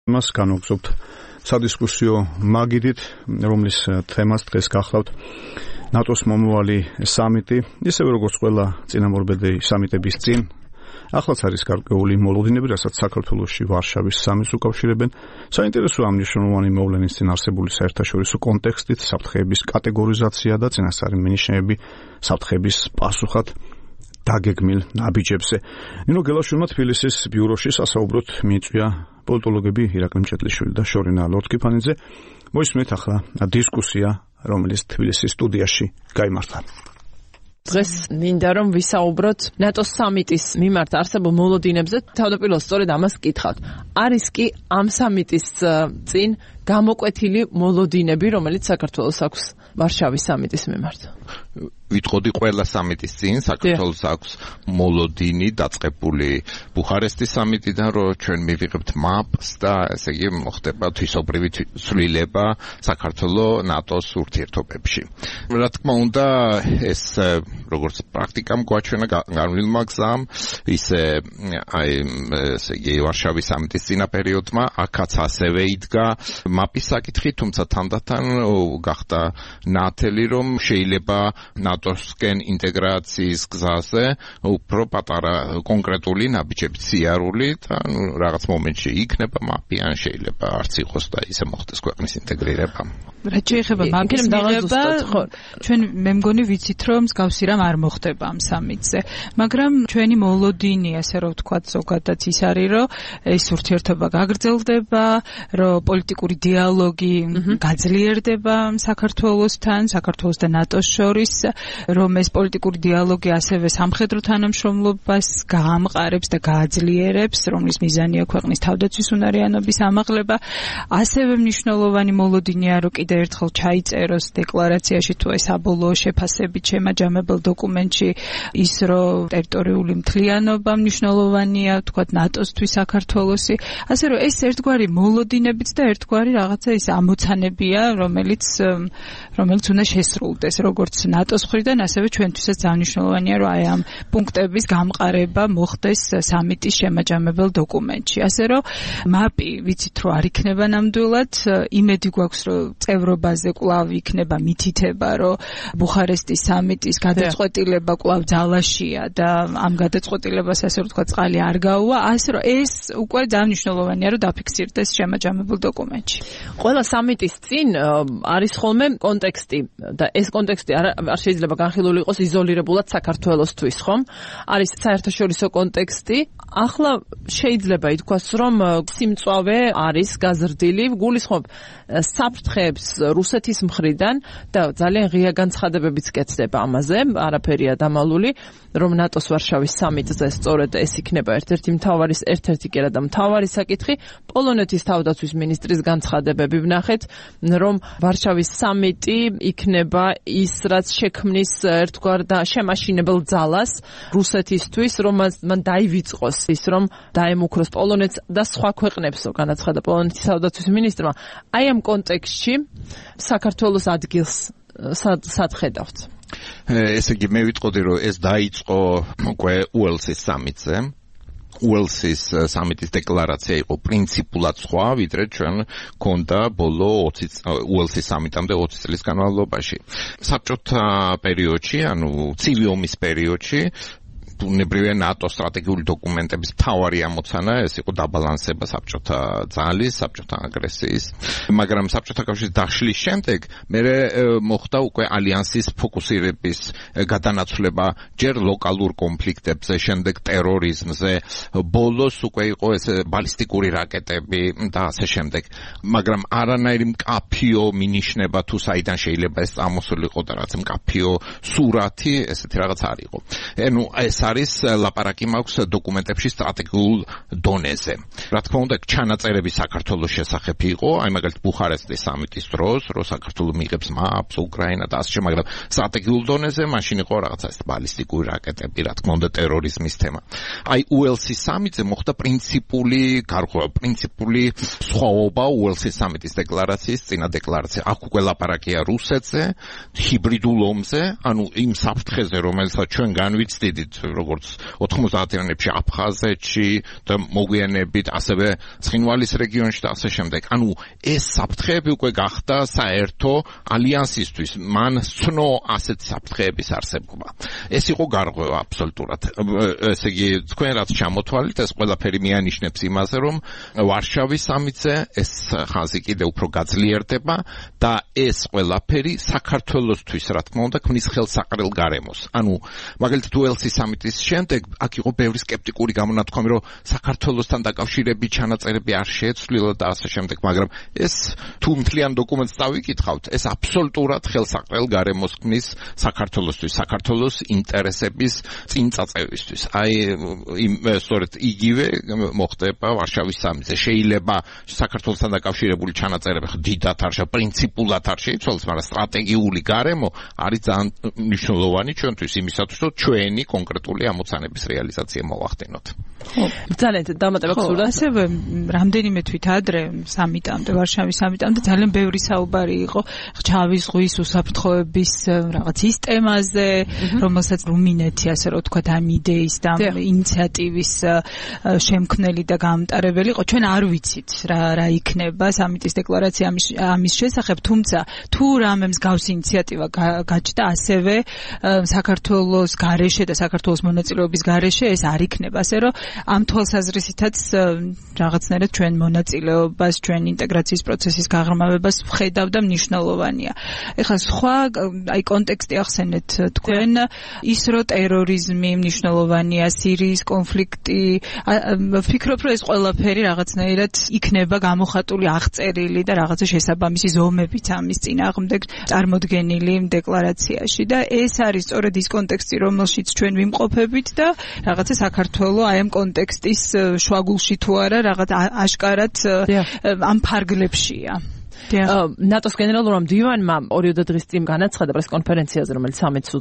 მას განვგზავნებთ სადისკუსიო მაგიდით, რომლის თემას დღეს გახლავთ ნატოს მომავალი სამიტი, ისევე როგორც ყველა წინამორბედი სამიტების წინ. Ახლაც არის გარკვეული მოლოდინები, რასაც საქართველოში ვარშავის სამიტს უკავშირებენ. საინტერესოა ამ მნიშვნელოვანი მოვლენის წინ არსებული საერთაშორისო კონტექსტით, საფრთხეების კატეგორიზაცია და წინასწარი მინიშნები საფრთხების პასუხად დაგეგმილ ნაბიჯებზე. ნინო გელაშვილმა თბილისის ბიუროში სასაუბროდ მიიწვია პოლიტოლოგები ირაკლი მჭედლიშვილი და შორინა ლორთქიფანიძე. მოისმენთ ახლა დისკუსია, რომელიც თბილისის სტუდიაში გაიმართა. დღეს მინდა რომ ვისაუბროთ ნატოს სამიტის მიმართ არსებულ მოლოდინებზე, თავდაპირველად სწორედ ამას გკითხავთ. არის კი ამ სამიტის წინ გამოკვეთილი მოლოდინები, რომელიც საქართველოს აქვს ვარშავის სამიტის მიმართ? ვიტყოდი ყველა სამიტის წინ საქართველოს აქვს მოლოდინი დაწყებული ბუხარესტის სამიტიდან, რომ ჩვენ მივიღებთ მაპს და ესე იგი მოხდება თვისობრივი ცვლილება საქართველოს ნატოს ურთიერთობებში. რა თქმა უნდა, ეს როგორც პრაქტიკამ გვაჩვენა განვლილმა გზამ, ისე ესე იგი ვარშავის სამიტის წინა პერიოდმა აქაც ასევე იდგა მაპის საკითხი, თუმცა თანდათან გახდა ნათელი, რომ შეიძლება ნატოსკენ ინტეგრაციის გზაზე უფრო პატარა კონკრეტული ნაბიჯები სიარული და რაღაც მომენტში იქნება მაპი, ან შეიძლება არც იყოს და ისე მოხდეს ქვეყნის ინტეგრირება. რაც შეეხება მაპის მიღება, ჩვენ მე მგონი ვიცით, რომ მსგავსი რამ არ მოხდება ამ სამიტზე, მაგრამ ჩვენი მოლოდინი, ასე რომ ვთქვათ, ზოგადად ის არის, რომ ეს ურთიერთობა გაგრძელდება, რომ პოლიტიკური დიალოგი გაძლიერდება საქართველოსთან, საქართველოს და ნატოს შორის, რომ ეს პოლიტიკური დიალოგი ასევე სამხედრო თანამშრომლობას გაამყარებს და გააძლიერებს, რომლის მიზანია ქვეყნის თავდაცვის უნარიანობის ამაღლება. ასევე მნიშვნელოვანი მოლოდინია, რომ კიდევ ერთხელ ჩაიწეროს დეკლარაციაში თუ ეს საბოლოო შეფასებით შემაჯამებელ დოკუმენტში ის, რომ ტერიტორიული მთლიანობა მნიშვნელოვანია, თქვათ ნატოსთვის საქართველოსი. ასე რომ ეს ერთგვარი მოლოდინებიც და ერთგვარი რაღაცა ის ამოცანებია, რომელიც უნდა შესრულდეს როგორც ნატოს მხრიდან, ასევე ჩვენთვისაც ძალიან მნიშვნელოვანია, რომ აი ამ პუნქტების გამყარება მოხდეს სამიტის შემაჯამებელ დოკუმენტში. ასე რომ მაპი ვიცით, რომ არ იქნება ნამდვილად, იმედი გვაქვს, რომ წევრობაზე კვლავ იქნება მითითება, რომ ბუხარესტის სამიტის გადაწყვეტილება კვლავ ძალაშია და ამ გადაწყვეტილებას ასე რომ თქვა წყალი არ გაუვა, ასე რომ ეს უკვე ძალიან მნიშვნელოვანია, რომ დაფიქსირდეს შემაჯამებელ დოკუმენტში. ყველა სამიტის წინ არის ხოლმე კონტექსტი და ეს კონტექსტი არ შეიძლება განხილული იყოს იზოლირებულად საქართველოსთვის, ხომ? არის საერთაშორისო კონტექსტი. ახლა შეიძლება ითქვას, რომ სიმწვავე არის გაზრდილი, გულისხმობ საფრთხეებს რუსეთის მხრიდან და ძალიან ღია განცხადებებიც კეთდება ამაზე, არაფერია დამალული, რომ ნატოს ვარშავის სამიტზე სწორედ ეს იქნება ერთ-ერთი მთავარი საკითხი. პოლონეთის თავდაცვის მინისტრის განცხადებები ვნახეთ, რომ ვარშავის სამიტი იქნება ის, რაც შექმნის ერთგვარ და შემაშინებელ ძალას რუსეთისთვის, რომ მან დაივიწყოს ის, რომ დაემუქროს პოლონეთს და სხვა ქვეყნებს, განაცხადა პოლონეთის თავდაცვის მინისტრმა. აი ამ კონტექსტში საქართველოს ადგილს სად ხედავთ? ესე იგი მე ვიტყოდი, რომ ეს დაიწყო უკვე უელსის სამიტზე. უელსის სამიტის დეკლარაცია იყო პრინციპულად სხვა, ვიდრე ჩვენ ქონდა ბოლო უელსის სამიტამდე 20 წლის განმავლობაში. საბჭოთა პერიოდში, ანუ ცივი ომის პერიოდში ბუნებრივია ნატოს სტრატეგიული დოკუმენტების მთავარი ამოცანა ეს იყო დაბალანსება საბჭოთა ძალის, საბჭოთა აგრესიის, მაგრამ საბჭოთა კავშირის დაშლის შემდეგ მე მოხდა უკვე ალიანსის ფოკუსირების გადანაცვლება ჯერ ლოკალურ კონფლიქტებზე, შემდეგ ტერორიზმზე, ბოლოს უკვე იყო ეს ბალისტიკური რაკეტები და ასე შემდეგ, მაგრამ არანაირი მკაფიო მინიშნება თუ საიდან შეიძლება ეს წამოსულიყო და რაც მკაფიო სურათი, ესეთი რაღაც არ იყო. ანუ ეს არის ლაპარაკი მაქვს დოკუმენტებში სტრატეგიულ დონეზე. რა თქმა უნდა, ჩანაწერები საქართველოს შესახებ იყო, აი მაგალითად ბუხარესტის სამიტის დროს, რომ საქართველოს მიიღებს მაპს, უკრაინა და ასე, მაგრამ სტრატეგიულ დონეზე მაშინ იყო რაღაცა ეს ბალისტიკური რაკეტები, რა თქმა უნდა, ტერორიზმის თემა. აი უელსის სამიტზე მოხდა პრინციპული სხვაობა უელსის სამიტის დეკლარაციის წინა დეკლარაცია. აქ უკვე ლაპარაკია რუსეთზე, ჰიბრიდულ ომზე, ანუ იმ საფრთხეზე, რომელსაც ჩვენ განვიცდით, როგორც 90-იანებში აფხაზეთში და მოგვიანებით ასევე ცხინვალის რეგიონში და ასე შემდეგ. ანუ ეს საფრთხეები უკვე გახდა საერთო ალიანსისთვის. მან სცნო ასეთ საფრთხეების არსებობა. ეს იყო გარღვევა აბსოლუტურად. ესე იგი, თქვენ რაც ჩამოთვალეთ, ეს ყველაფერი მიანიშნებს იმაზე, რომ ვარშავის სამიტზე ეს ხაზი კიდევ უფრო გაძლიერდება და ეს ყველაფერი საქართველოსთვის, რა თქმა უნდა, ქმნის ხელსაყრელ გარემოს. ანუ მაგალითად უელსის სამიტის შემდეგ აქ იყო ბევრი სკეპტიკური გამონათქვამი, რომ საქართველოსთან დაკავშირებით ჩანაწერები არ შეეცვლილა და ასე შემდეგ, მაგრამ ეს თუ მთლიან დოკუმენტს დავიკითხავთ, ეს აბსოლუტურად ხელსაყრელ გარემოს ქმნის საქართველოსთვის, საქართველოს ინტერესების წინწაწევისთვის. აი სწორედ იგივე მოხდება ვარშავის სამიტზე. შეიძლება საქართველოსთან დაკავშირებული ჩანაწერები დიდად არ პრინციპულად არ შეიცვალოს, მაგრამ სტრატეგიული გარემო არის ძალიან მნიშვნელოვანი ჩვენთვის იმისათვის, რომ ჩვენი კონკრეტული ამოცანების რეალიზაცია მოვახდინოთ. ძალიან დამატება გსურდა. ასევე რამდენიმე თვით ადრე სამიტამდე, ვარშავის სამიტამდე ძალიან ბევრი საუბარი იყო ჩავის ზღვის უსაფრთხოების რაღაც ის თემაზე, რომელსაც რუმინეთი, ასე რომ ვთქვათ, ამ იდეის და ინიციატივის შემქმნელი და გამტარებელი იყო. ჩვენ არ ვიცით რა იქნება სამიტის დეკლარაცია ამის შესახებ, თუმცა თუ რამე მსგავსი ინიციატივა გაჩნდა ასევე საქართველოს გარეშე და საქართველოს მონაწილეობის გარეშე, ეს არ იქნება. ასე რომ ამ თვალსაზრისითაც რაღაცნაირად ჩვენ მონაწილეობას, ჩვენ ინტეგრაციის პროცესის გაღრმავებას ვხედავ და მნიშვნელოვანია. ეხლა სხვა აი კონტექსტი ახსენეთ თქვენ, ის რომ ტერორიზმი მნიშვნელოვანია, სირიის კონფლიქტი, ვფიქრობ, რომ ეს ყველაფერი რაღაცნაირად იქნება გამოხატული, აღწერილი და რაღაცა შესაბამისი ზომებით ამის წინააღმდეგ წარმოდგენილი დეკლარაციაში და ეს არის სწორედ ის კონტექსტი, რომელშიც ჩვენ ვიმყოფებით და რაღაცა საქართველოს აი ამ კონტექსტის შუაგულში თუ არა რაღაც აშკარად ამ ფარგლებშია. ნატოს გენერალურმა მდივანმა 2 დღის წინ განაცხადა პრესკონფერენციაზე, რომელიც სამიტს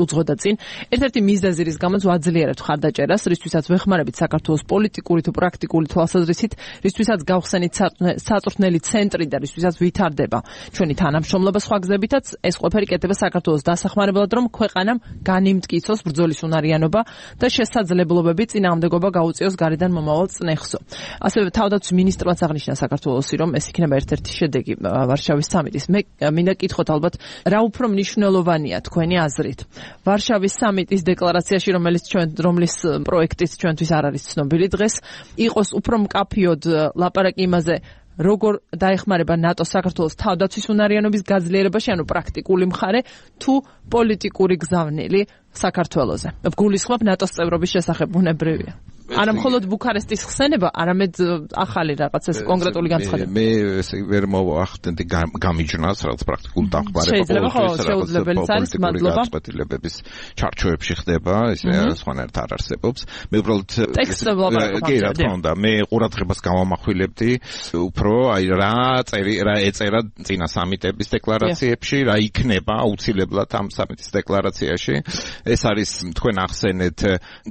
უძღვოდა წინ, ერთ-ერთი მიზეზი, რის გამოც ვაძლიერებთ ხარდაჭერას, რისთვისაც ვეხმარებით საქართველოს პოლიტიკური თუ პრაქტიკული თვალსაზრისით, რისთვისაც გავხსენით საწვრთნელი ცენტრი და რისთვისაც ვითარდება ჩვენი თანამშრომლობა სხვა გზებითაც, ეს ყველაფერი კეთდება საქართველოს დასახმარებლად, რომ ქვეყანამ განიმტკიცოს ბრძოლის უნარიანობა და შესაძლებლობები წინააღმდეგობა გაუწიოს გარედან მომავალ წნეხსო. ასევე თავდაცვის მინისტრმაც აღნიშნა საქართველოსი, რომ ეს იქნება ერთ-ერთი შედეგი ვარშავის სამიტის. მე მინდა კითხოთ ალბათ, რა უფრო მნიშვნელოვანია თქვენი აზრით ვარშავის სამიტის დეკლარაციაში, რომლის პროექტიც ჩვენთვის არ არის ცნობილი დღეს, იყოს უფრო მკაფიოდ ლაპარაკი იმაზე, როგორ დაეხმარება ნატო საქართველოს თავდაცვის უნარიანობის გაძლიერებაში, ანუ პრაქტიკული მხარე, თუ პოლიტიკური გზავნილი საქართველოზე. გულისხმობ ნატოს წევრობის შესახებ ბუნებრივია. არა მხოლოდ ბუქარესტის ხსენება, არამედ ახალი რაღაც ეს კონკრეტული განცხადება. მე ვერ მოვახდენდი გამიჯნას, რაღაც პრაქტიკულ დახმარება შეუძლებელიც არის, მადლობა. გაწყვეტილებების ჩარჩოებში ხდება, ესე სხვანაირად არ არსებობს. მე უბრალოდ კი, რა თქმა უნდა, მე ყურადღებას გამომახვილებდი უფრო აი რა ეწერა წინა სამიტების დეკლარაციებში, რა იქნება აუცილებლად ამ სამიტის დეკლარაციაში. ეს არის თქვენ ახსენეთ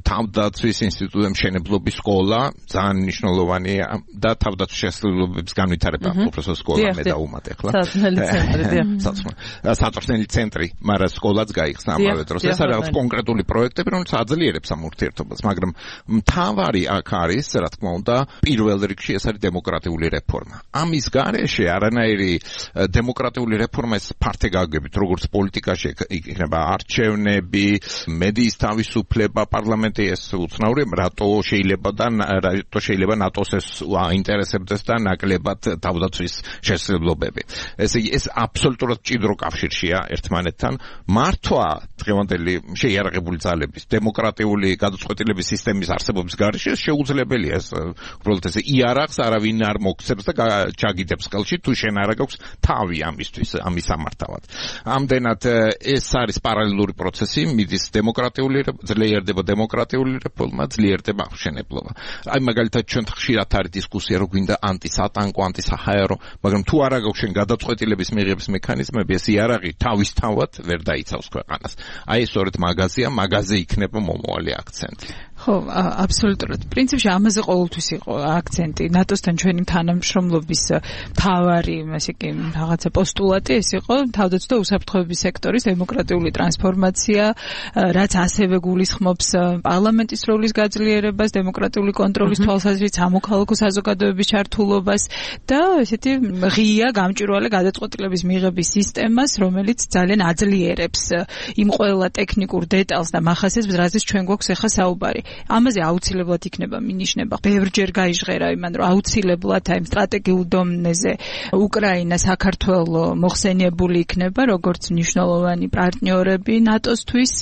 თავდაცვის ინსტიტუტების მშენებლობის სკოლა, ძალიან მნიშვნელოვანია და თავდაცვის შესაძლებლობების განვითარება, უბრალოდ სკოლა მე დაუმატე ახლა. საწვრთნელი ცენტრი, მაგრამ სკოლაც გაიხსნა ამავე დროს. ეს არის რაღაც კონკრეტული პროექტები, რომელიც აძლიერებს ამ ურთიერთობას, მაგრამ მთავარი აქ არის, რა თქმა უნდა, პირველ რიგში ეს არის დემოკრატიული რეფორმა. ამის გარეშე არანაირი დემოკრატიული რეფორმა ეს ფართეგაგებით, როგორც პოლიტიკაში იქნება არჩევნები, მედიის თავისუფლება, პარლამენტი ეს უცნაურია, რატო შეიძლება ნატოს ეს აინტერესებდეს და ნაკლებად თავდაცვის შესაძლებლობები. ესე იგი, ეს აბსოლუტურად მჭიდრო კავშირშია ერთმანეთთან. მართვა დღევანდელი შეიარაღებული ძალების დემოკრატიული გადაწყვეტილების სისტემის არსებობის გარეშე შეუძლებელია. ეს უბრალოდ ესე იარაღს არავინ არ მოგცემს და ჩაგიდებს ხელში, თუ შენ არ აქვს თავი ამისთვის, ამის სამართავად. ამდენად ეს არის პარალელური პროცესი, მიდის ძლიერდება დემოკრატიული რეფორმა, ძლიერდება აღშენებლობა. აი მაგალითად ჩვენ ხშირად არის დისკუსია, რომ გვინდა ანტისატანკო, ანტისაჰაერო, მაგრამ თუ არ აქვს შენ გადაწყვეტილების მიღების მექანიზმები, ეს იარაღი თავისთავად ვერ დაიცავს ქვეყანას. აი სწორედ მაგაზე იქნება მომავალი აქცენტი. ხო, აბსოლუტურად. პრინციპში ამაზე ყოველთვის იყო აქცენტი. ნატოსთან ჩვენი თანამშრომლობის მთავარი, ასე კი, რაღაცა პოსტულატი ეს იყო თავდაცვა და უსაფრთხოების სექტორის დემოკრატიული ტრანსფორმაცია, რაც ასევე გულისხმობს პარლამენტის როლის გაძლიერებას, დემოკრატიული კონტროლის თვალსაზრისით, სამოქალაქო საზოგადოების ჩართულობას და ესეთი ღია გამჭვირვალე გადაწყვეტილების მიღების სისტემას, რომელიც ძალიან აძლიერებს იმ ყველა ტექნიკურ დეტალს და მახასიათებს, რაზეც ჩვენ გვაქვს ახლა საუბარი. ამაზე აუცილებლად იქნება მინიშნება. ბევრჯერ გაიჟღერა იმან, რომ აუცილებლად აი სტრატეგიულ დონეზე უკრაინა, საქართველო მოხსენიებული იქნება როგორც მნიშვნელოვანი პარტნიორები ნატოსთვის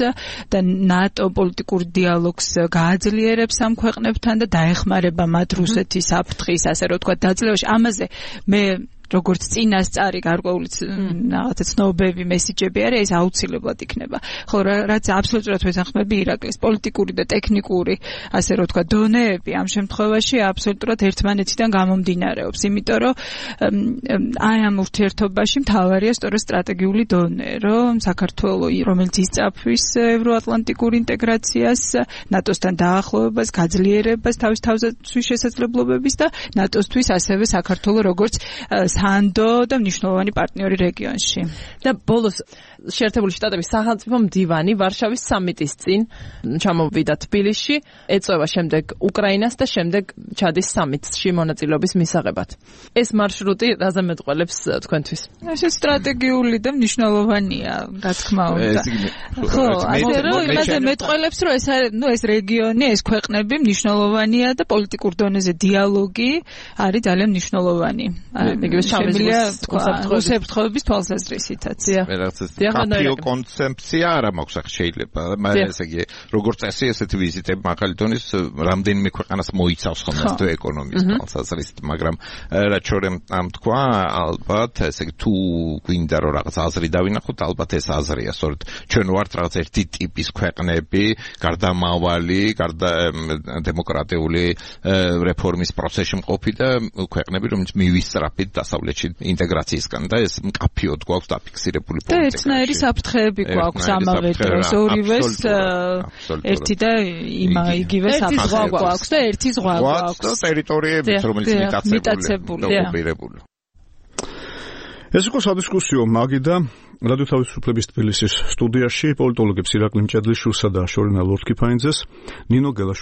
და ნატო პოლიტიკურ დიალოგს გააძლიერებს ამ ქვეყნებთან და დაეხმარება მათ რუსეთის საფრთხის, ასე რომ ვთქვათ, დაძლევაში. ამაზე მე როგორც წინასწარი გარკვეული რაღაცა ცნობები, მესიჯები არის, ეს აუცილებლად იქნება. ხო, რაც აბსოლუტურად ვეთანხმები ირაკლის პოლიტიკური და ტექნიკური, ასე რომ ვთქვათ, დონეები ამ შემთხვევაში აბსოლუტურად ერთმანეთიდან გამომდინარეობს, იმიტომ რომ აი ამ ურთიერთობაში მთავარია სწორედ სტრატეგიული დონე, რომ საქართველო, რომელიც ისწაფვის ევროატლანტიკურ ინტეგრაციას, ნატოსთან დაახლოებას, გაძლიერებას თავის თავზაცვის შესაძლებლობების და ნატოსთვის ასევე საქართველო როგორც სანდო და მნიშვნელოვანი პარტნიორი რეგიონში. და ბოლოს შეერთებული შტატების სახელმწიფო მდივანი ვარშავის სამიტის წინ ჩამოვიდა თბილისში, ეწევა შემდეგ უკრაინას და შემდეგ ჩადის სამიტში მონაწილეობის მისაღებად. ეს მარშრუტი რაზე მეტყველებს თქვენთვის? ეს სტრატეგიული და მნიშვნელოვანია, რა თქმა უნდა. ხო, ასე რომ იმაზე მეტყველებს, რომ ეს რეგიონი, ეს ქვეყნები მნიშვნელოვანია და პოლიტიკურ დონეზე დიალოგი არის ძალიან მნიშვნელოვანი. შემიძლია უსაფრთხოების თვალსაზრისითაც. კაპიო კონცეფცია არ მაქვს ახლა შეიძლება, მაგრამ ესე იგი, როგორც წესი, ესეთი ვიზიტები მაღალი დონის რამდენიმე ქვეყანას მოიცავს ხოლმე თუ ეკონომიკის თვალსაზრისით, მაგრამ რაც შორემ ამ თქვა, ალბათ ესე იგი თუ გვინდა რომ რაღაც აზრი დავინახოთ, ალბათ ეს აზრია, სწორედ ჩვენ ვართ რაღაც ერთი ტიპის ქვეყნები, გარდამავალი, დემოკრატიული რეფორმის პროცესში მყოფი და ქვეყნები, რომელიც მივისწრაფით დასავლეთში ინტეგრაციისგან და ეს მკაფიოდ გვაქვს დაფიქსირებული პოლიტიკა. და ერთნაირი საფრთხეები გვაქვს ამავე დროს, ორივეს ერთი და იგივე საფრთხე გვაქვს და ერთი ზღვა გვაქვს. და ტერიტორიებიც, რომელიც მიტაცებული. ეს იყო სადისკუსიო მაგიდა რადიო თავისუფლების თბილისის სტუდიაში პოლიტოლოგებს ირაკლი მჭედლიშვილსა და შორინა ლორთქიფაინძეს, ნინო გელაშვილს